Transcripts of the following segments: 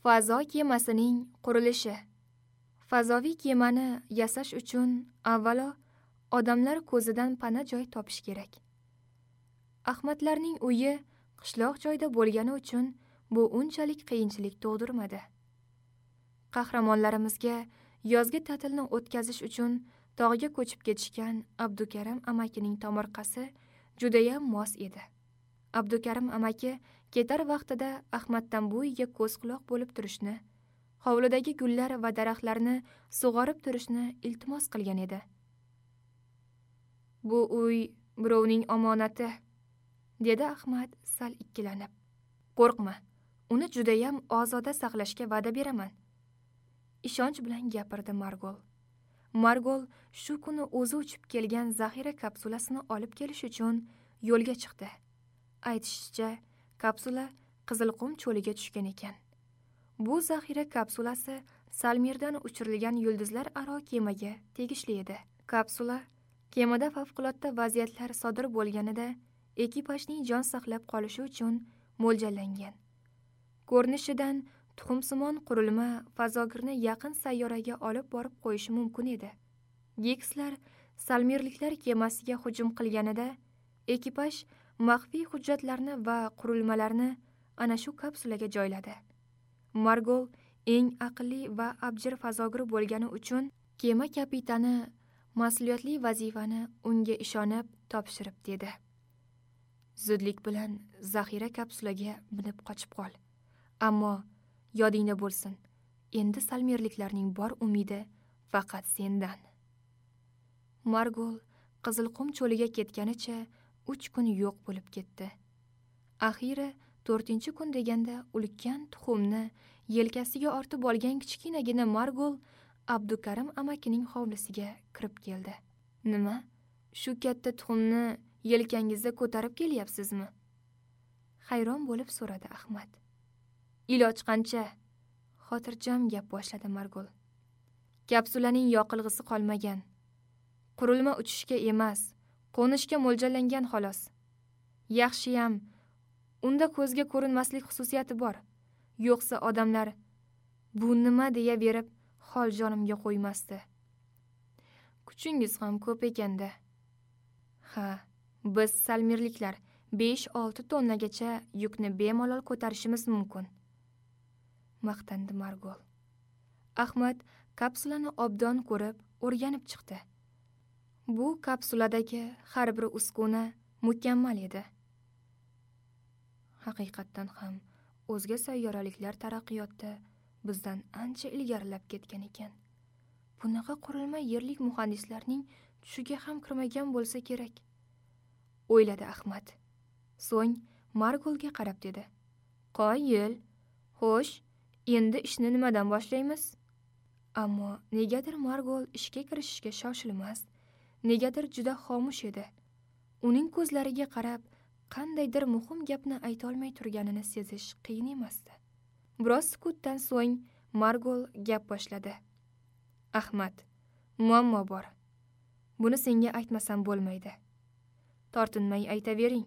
Fazo kemasining qurilishi. Fazoviy kemani yasash uchun avvalo odamlar ko'zidan pana joy topish kerak. Ahmadlarning uyi qishloq joyda bo'lgani uchun bu unchalik qiyinchilik tug'dirmadi. Qahramonlarimizga yozgi ta'tilni o'tkazish uchun tog'ga ko'chib ketishgan Abdukarim amakining tomorqasi judayam mos edi. Abdukarim amaki ketar vaqtida Ahmaddan bu uyga ko'z quloq bo'lib turishni, hovlidagi gullar va daraxtlarni sug'orib turishni iltimos qilgan edi. Bu uy birovning omonati, dedi Ahmad sal ikkilanib. Qo'rqma, uni judayam ozoda saqlashga va'da beraman. Ishonch bilan gapirdi Margol. Margol shu kuni o'zi uchib kelgan zaxira kapsulasini olib kelish uchun yo'lga chiqdi. Aytishicha, kapsula Qizilqum cho'liga tushgan ekan. Bu zaxira kapsulasi Salmirdan uchirilgan yulduzlar aro kemaga tegishli edi. Kapsula kemada favqulodda vaziyatlar sodir bo'lganida ekipajning jon saqlab qolishi uchun mo'ljallangan. Ko'rinishidan tuxumsimon qurilma fazogirni yaqin sayyoraga olib borib qo'yishi mumkin edi. Gikslar Salmirliklar kemasiga hujum qilganida ekipaj maxfiy hujjatlarni va qurilmalarni ana shu kapsulaga joyladi. Margol eng aqlli va abjir fazogir bo'lgani uchun kema kapitani mas'uliyatli vazifani unga ishonib topshirib dedi. Zudlik bilan zaxira kapsulaga minib qochib qol. Ammo yodingda bo'lsin, endi salmirliklarning bor umidi faqat sendan. Margol Qizilqum cho'liga ketganicha 3 kun yo'q bo'lib ketdi. Axiri 4-kun deganda ulkan tuxumni yelkasiga ortib olgan kichkinagina Margol Abdukarim amakining hovlisiga kirib keldi. Nima? Shu katta tuxumni yelkangizda ko'tarib kelyapsizmi? Hayron bo'lib so'radi Ahmad. Iloj qancha? Xotirjam gap boshladi Margol. Kapsulaning yoqilg'isi qolmagan. Qurilma uchishga emas, qo'nishga mo'ljallangan xolos. Yaxshiyam, unda ko'zga ko'rinmaslik xususiyati bor. Yo'qsa odamlar bu nima deya berib hol jonimga qo'ymasdi. Kuchingiz ham ko'p ekanda. Ha, biz salmirliklar 5-6 tonnagacha yukni bemalol ko'tarishimiz mumkin, maqtandi Margol. Ahmad kapsulani obdon ko'rib o'rganib chiqdi. Bu kapsuladagi har bir uskuna mukammal edi. Haqiqatdan ham o'zga sayyoraliklar taraqqiyotda bizdan ancha ilgarilab ketgan ekan. Bunaqa qurilma yerlik muhandislarning tushiga ham kirmagan bo'lsa kerak, o'yladi Ahmad. So'ng Margolga qarab dedi: "Qoyil. Xo'sh, endi ishni nimadan boshlaymiz?" Ammo negadir Margol ishga kirishishga shoshilmas, negadir juda xomush edi. Uning ko'zlariga qarab qandaydir muhim gapni ayta olmay turganini sezish qiyin emasdi. Biroz sukutdan so'ng Margol gap boshladi. Ahmad, muammo bor. Buni senga aytmasam bo'lmaydi. Tortinmay aytavering,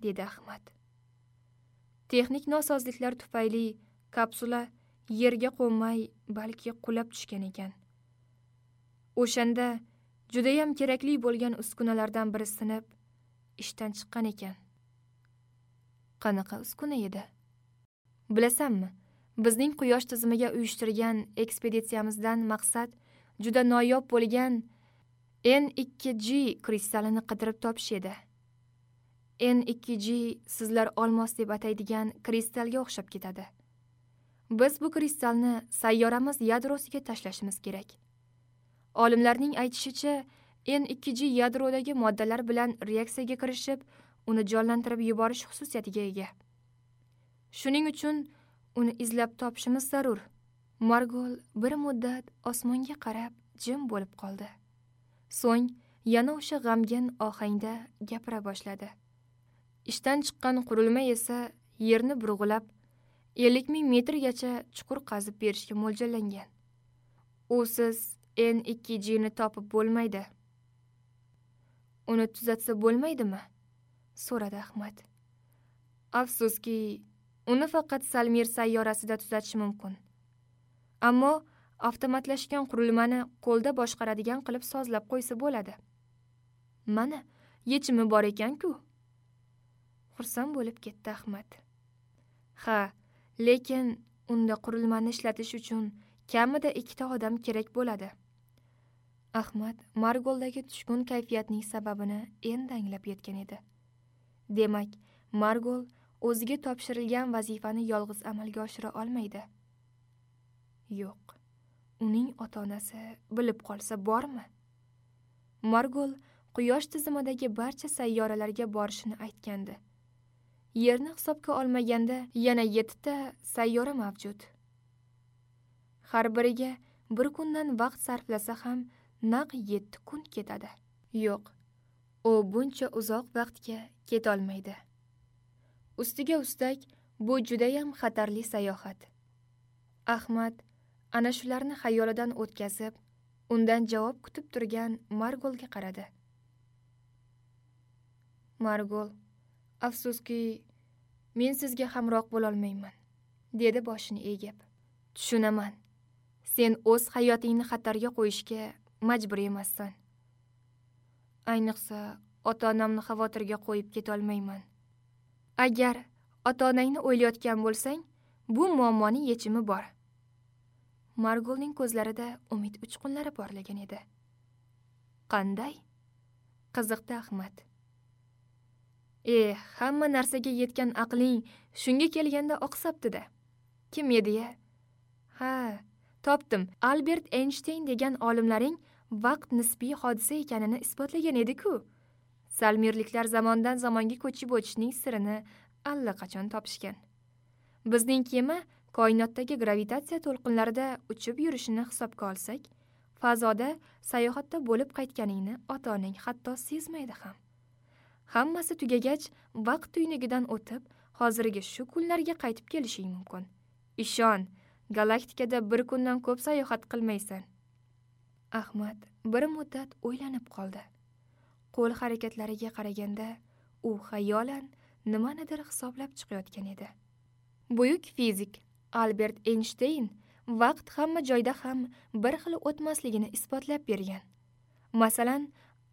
dedi Ahmad. Texnik nosozliklar tufayli kapsula yerga qo'nmay, balki qulab tushgan ekan. O'shanda judayam kerakli bo'lgan uskunalardan biri sinib, ishdan chiqqan ekan. Qanaqa uskuna edi? Bilasanmi, bizning quyosh tizimiga uyushtirgan ekspeditsiyamizdan maqsad juda noyob bo'lgan N2G kristalini qidirib topish edi. N2G sizlar olmos deb ataydigan kristalga o'xshab ketadi. Biz bu kristalni sayyoramiz yadrosiga tashlashimiz kerak. Olimlarning aytishicha, N2G yadrodagi moddalar bilan reaksiyaga kirishib, uni jonlantirib yuborish xususiyatiga ega. Shuning uchun uni izlab topishimiz zarur. Margol bir muddat osmonga qarab jim bo'lib qoldi. So'ng yana o'sha g'amgin ohangda gapira boshladi. Ishdan chiqqan qurilma esa yerni burg'ulab 50 ming metrgacha chuqur qazib berishga mo'ljallangan. Usiz N2G ni topib bo'lmaydi. Uni tuzatsa bo'lmaydimi? So'radi Ahmad. Afsuski, Uni faqat Salmir sayyorasida tuzatish mumkin. Ammo avtomatlashgan qurilmani qo'lda boshqaradigan qilib sozlab qo'ysa bo'ladi. Mana, yechimi bor ekan-ku. Xursand bo'lib ketdi Ahmad. Ha, lekin unda qurilmani ishlatish uchun kamida 2 ta odam kerak bo'ladi. Ahmad Margoldagi tushkun kayfiyatning sababini endi anglab yetgan edi. Demak, Margol o'ziga topshirilgan vazifani yolg'iz amalga oshira olmaydi. Yo'q, uning ota-onasi bilib qolsa bormi? Margol Quyosh tizimidagi barcha sayyoralarga borishini aytgandi. Yerni hisobga olmaganda yana 7 ta sayyora mavjud. Har biriga bir kundan vaqt sarflasa ham naq 7 kun ketadi. Yo'q, u buncha uzoq vaqtga ketolmaydi. Ustiga ustak, bu judayam xatarli sayohat. Ahmad ana shularni xayolidan o'tkazib, undan javob kutib turgan Margolga qaradi. Margol, afsuski, men sizga hamroh bo'lolmayman, dedi boshini egib. Tushunaman. Sen o'z hayotingni xatarga qo'yishga majbur emassan. Ayniqsa, ota-onamni xavotirga qo'yib ketolmayman. Agar ota-onangni o'ylayotgan bo'lsang, bu muammoning yechimi bor. Margolning ko'zlarida umid uchqunlari porlagan edi. Qanday? Qiziqdi Ahmad. Hamma narsaga yetgan aqling shunga kelganda oqsabdi-da. Kim edi-ya? Ha, topdim. Albert Eynshteyn degan olimlaring vaqt nisbiy hodisa ekanini isbotlagan edi-ku. Salmirliklar zamondan zamonga ko'chib o'tishning sirini allaqachon topishgan. Bizning kema koinotdagi gravitatsiya to'lqinlarida uchib yurishini hisobga olsak, fazoda sayohatda bo'lib qaytganingni ota-onang hatto sezmaydi ham. Hammasi tugagach, vaqt tuynugidan o'tib, hozirgi shu kunlarga qaytib kelishing mumkin. Ishon, galaktikada bir kundan ko'p sayohat qilmaysan. Ahmad bir muddat o'ylanib qoldi. Qo'l harakatlariga qaraganda, u xayolan nimanidir hisoblab chiqayotgan edi. Buyuk fizik Albert Eynshteyn vaqt hamma joyda ham bir xil o'tmasligini isbotlab bergan. Masalan,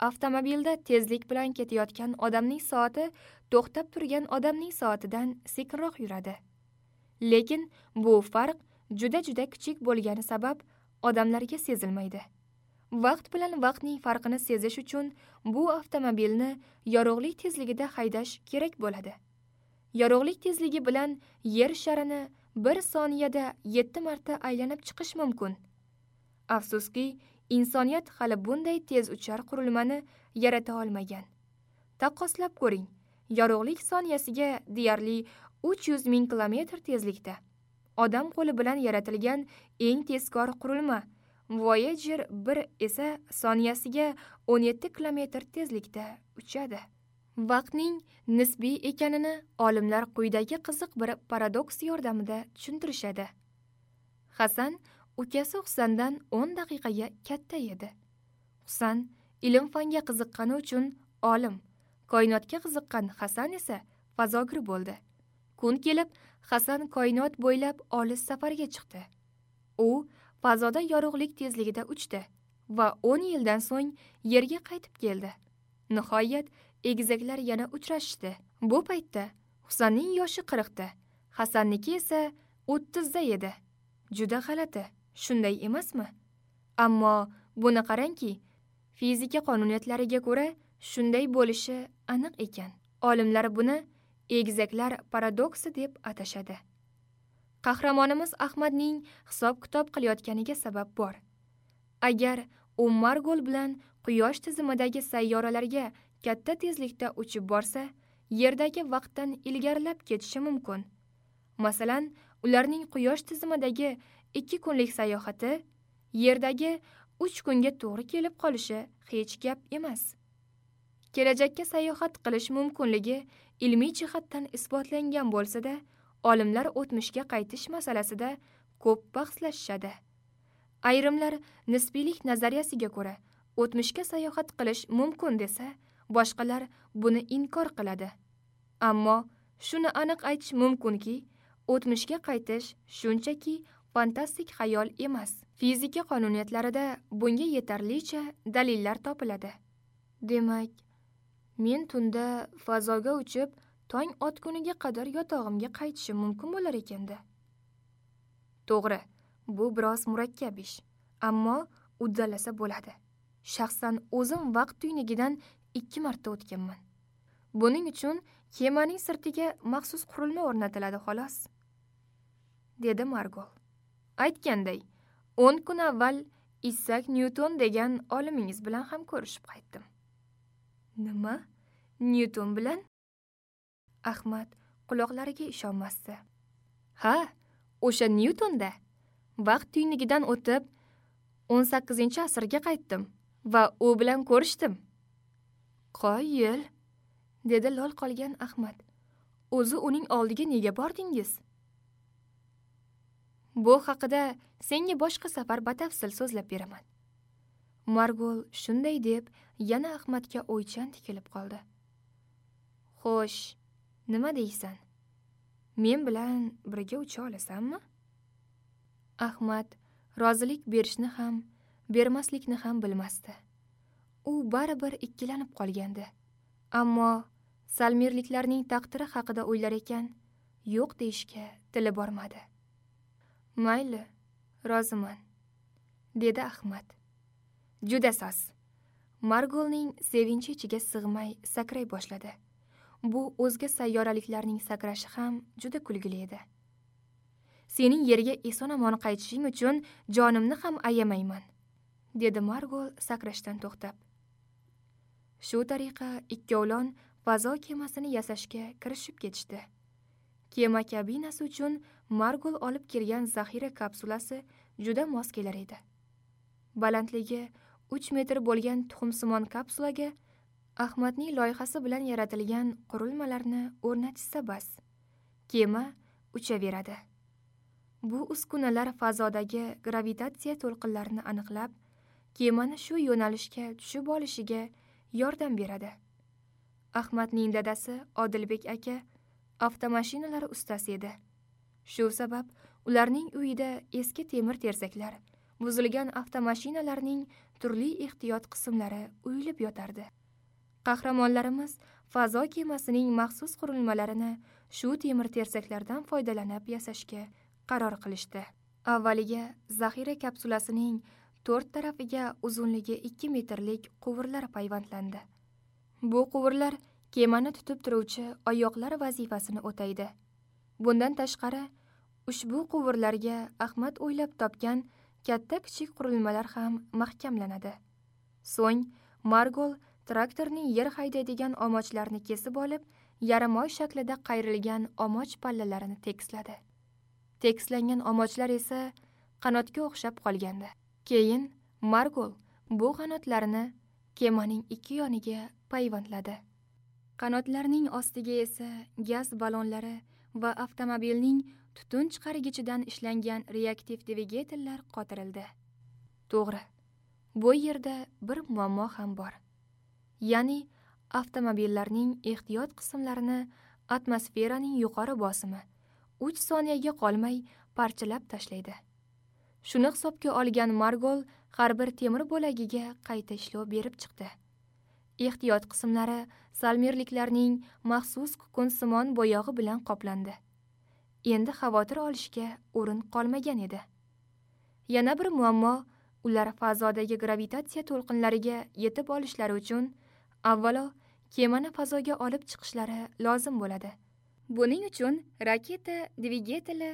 avtomobilda tezlik bilan ketayotgan odamning soati to'xtab turgan odamning soatidan sekinroq yuradi. Lekin bu farq juda-juda kichik bo'lgani sabab odamlarga sezilmaydi. Vaqt bilan vaqtning farqini sezish uchun bu avtomobilni yorug'lik tezligida haydash kerak bo'ladi. Yorug'lik tezligi bilan yer sharini 1 soniyada 7 marta aylanib chiqish mumkin. Afsuski, insoniyat hali bunday tez uchar qurilmani yarata olmagan. Taqqoslab ko'ring, yorug'lik soniyasiga deyarli 300 ming kilometr tezlikda. Odam qo'li bilan yaratilgan eng tezkor qurilma Voyager 1 esa soniyasiga 17 kilometr tezlikda uchadi. Vaqtning nisbiy ekanini olimlar quyidagi qiziq bir paradoks yordamida tushuntirishadi. Hasan ukasi Husandan 10 daqiqaga katta edi. Husan ilm-fanga qiziqqani uchun olim, koinotga qiziqqan Hasan esa fazogir bo'ldi. Kun kelib, Hasan koinot bo'ylab olis safarga chiqdi. U fazoda yorug'lik tezligida uchdi va 10 yildan so'ng yerga qaytib keldi. Nihoyat egizaklar yana uchrashishdi. Bu paytda Husanning yoshi 40 da, Hasanniki esa 30 da edi. Juda g'alati, shunday emasmi? Ammo buni qarangki, fizika qonuniyatlariga ko'ra shunday bo'lishi aniq ekan. Olimlar buni egizaklar paradoksi deb atashadi. Qahramonimiz Ahmadning hisob-kitob qilayotganiga sabab bor. Agar u Margol bilan Quyosh tizimidagi sayyoralarga katta tezlikda uchib borsa, Yerdagi vaqtdan ilgarilab ketishi mumkin. Masalan, ularning Quyosh tizimidagi 2 kunlik sayohati Yerdagi 3 kunga to'g'ri kelib qolishi hech gap emas. Kelajakka sayohat qilish mumkinligi ilmiy jihatdan isbotlangan bo'lsa-da, olimlar o'tmishga qaytish masalasida ko'p bahslashishadi. Ayrimlar nisbiylik nazariyasiga ko'ra o'tmishga sayohat qilish mumkin desa, boshqalar buni inkor qiladi. Ammo shuni aniq aytish mumkinki, O'tmishga qaytish shunchaki fantastik xayol emas. Fizika qonuniyatlarida bunga yetarlicha dalillar topiladi. Demak, men tunda fazoga uchib, tong otguniga qadar yotog'imga qaytishim mumkin bo'lar ekanda. To'g'ri, bu biroz murakkab ish, ammo uddalasa bo'ladi. Shaxsan o'zim vaqt tuynugidan 2 marta o'tganman. Buning uchun kemaning sirtiga maxsus qurilma o'rnatiladi xolos, dedi Margol. Aytganday, 10 kun avval Isaac Newton degan olimingiz bilan ham ko'rishib qaytdim. Nima? Newton bilan? Ahmad quloqlariga ishonmasdi. Ha, o'sha Newtonda. Vaqt tuynugidan o'tib 18-asrga qaytdim va u bilan ko'rishdim. Qoyil, dedi lol qolgan Ahmad. O'zi uning oldiga nega bordingiz? Bu haqida senga boshqa safar batafsil so'zlab beraman. Margol shunday deb yana Ahmadga o'ychan tikilib qoldi. Xo'sh, nima deysan? Men bilan birga ucha olasanmi? Ahmad rozilik berishni ham, bermaslikni ham bilmasdi. U baribir ikkilanib qolgandi. Ammo salmirliklarning taqdiri haqida o'ylar ekan, yo'q deyishga tili bormadi. Mayli, roziman, dedi Ahmad. Juda soz. Margolning sevinchi ichiga sig'may sakray boshladi. Bu o'zga sayyoraliklarning sakrashi ham juda kulgili edi. Sening yerga eson-omon qaytishing uchun jonimni ham ayamayman, dedi Margol sakrashdan to'xtab. Shu tariqa ikkovlon fazo kemasini yasashga kirishib ketishdi. Kema kabinasi uchun Margol olib kelgan zaxira kapsulasi juda mos kelar edi. Balandligi 3 metr bo'lgan tuxumsimon kapsulaga Ahmadning loyihasi bilan yaratilgan qurilmalarni o'rnatishsa bas, kema uchaveradi. Bu uskunalar fazodagi gravitatsiya to'lqinlarini aniqlab, kemani shu yo'nalishga tushib olishiga yordam beradi. Ahmadning dadasi Odilbek aka avtomashinalar ustasi edi. Shu sabab ularning uyida eski temir tersaklar, buzilgan avtomashinalarning turli ehtiyot qismlari uyilib yotardi. Qahramonlarimiz fazo kemasining maxsus qurilmalarini shu temir tersaklardan foydalanib yasashga qaror qilishdi. Avvaliga zaxira kapsulasining 4 tarafiga uzunligi 2 metrlik quvurlar payvandlandi. Bu quvurlar kemani tutib turuvchi oyoqlar vazifasini o'taydi. Bundan tashqari, ushbu quvurlarga Ahmad o'ylab topgan katta-kichik qurilmalar ham mahkamlanadi. So'ng Margol traktorning yer haydaydigan omochlarni kesib olib, yarim oy shaklida qayrilgan omoch pallalarini tekisladi. Tekislangan omochlar esa qanotga o'xshab qolgandi. Keyin Margol bu qanotlarni kemaning 2 yoniga payvandladi. Qanotlarning ostiga esa gaz ballonlari va avtomobilning tutun chiqargichidan ishlangan reaktiv dvigatellar qotirildi. To'g'ri, bu yerda bir muammo ham bor. Ya'ni avtomobillarning ehtiyot qismlarini atmosferaning yuqori bosimi 3 soniyaga qolmay parchalab tashlaydi. Shuni hisobga olgan Margol har bir temir bo'lagiga qayta ishlov berib chiqdi. Ehtiyot qismlari salmirliklarning maxsus kukunsimon bo'yog'i bilan qoplandi. Endi xavotir olishga o'rin qolmagan edi. Yana bir muammo, ular fazodagi gravitatsiya to'lqinlariga yetib olishlari uchun avvalo kemani fazoga olib chiqishlari lozim bo'ladi. Buning uchun raketa dvigateli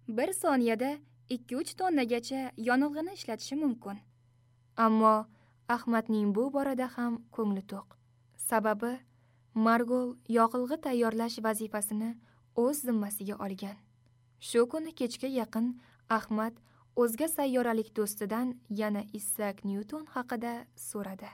1 soniyada 2-3 tonnagacha yonilg'ini ishlatishi mumkin. Ammo Ahmadning bu borada ham ko'ngli to'q. Sababi Margol yoqilg'i tayyorlash vazifasini o'z zimmasiga olgan. Shu kuni kechga yaqin Ahmad o'zga sayyoralik do'stidan yana Isaac Newton haqida so'radi.